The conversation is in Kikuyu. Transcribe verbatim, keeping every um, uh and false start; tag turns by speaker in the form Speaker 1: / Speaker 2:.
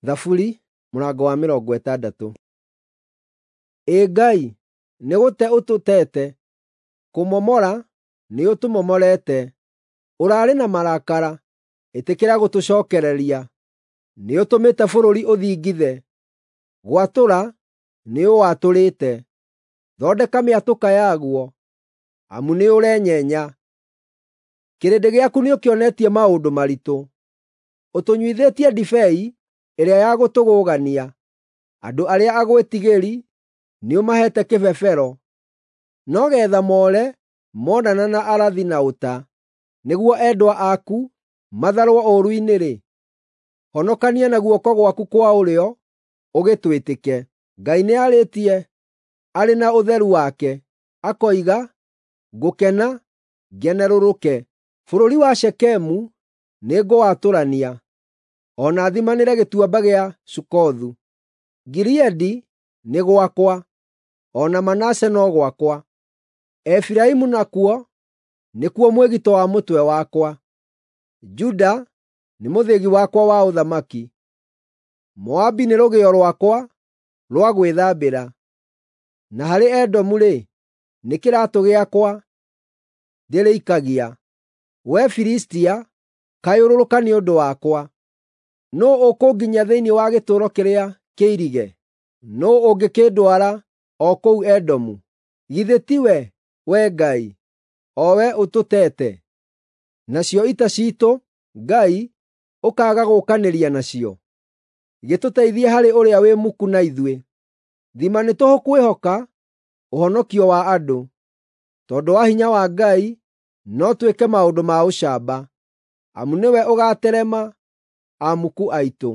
Speaker 1: Thaburi mũrango wa mĩrongo ĩtandatũ. Ĩ Ngai, nĩgũte ũtũteete, kũmomora nĩũtũmomorete. Ũraarĩ na marakara, ĩtĩkĩra gũtũcookereria. Nĩũtũmĩte bũrũri ũthingithe, gwatũra nĩũwatũrĩte. Thondeka mĩatũka yaguo, amu nĩũrenyenya. Kĩrĩndĩ gĩaku nĩũkĩonetie maũndũ maritũ, ũtũnyuithĩtie ndibei ĩrĩa ya gũtũgũgania. Andũ arĩa agwĩtigĩri nĩũmaheete kĩbebero, no geetha moore monana na arathi na ũta, nĩguo endwa aku matharwo ũũru-inĩ-rĩ, honokania na guoko gwaku kwa ũrĩo ũgĩtwĩtĩke. Ngai nĩarĩtie arĩ na ũtheru wake, akoiga, “Ngũkena, ngenerũrũke. Bũrũri wa Shekemu nĩngũwatũrania, o na thimanĩre gĩtuamba gĩa Sukothu. Gileadi nĩ gwakwa, o na Manase no gwakwa; Efiraimu nakuo nĩkuo mwĩgito wa mũtwe wakwa, Juda nĩ mũthĩgi wakwa wa ũthamaki. Moabi nĩ rũgĩo rwakwa rwa gwĩthambĩra, na harĩ Edomu-rĩ, nĩ kĩraatũ gĩakwa ndĩrĩikagia. Wee Filistia, kayũrũrũka nĩ ũndũ wakwa! Nũũ ũkũnginyia thĩinĩ wa gĩtũũro kĩrĩa kĩirige? Nũũ ũngĩkĩndwara o kũu Edomu? Githĩ tiwe, Wee Ngai, o wee ũtũteete? Nacio ita ciitũ, Ngai, ũkaaga gũũkanĩria nacio? Gĩtũteithie harĩ ũrĩa wĩ muku na ithuĩ. Thima nĩ tũhũ kwĩhoka ũhonokio wa andũ. Tondũ wa hinya wa Ngai no twĩke maũndũ ma ũcamba, amu nĩwe ũgaaterema amuku aitũ.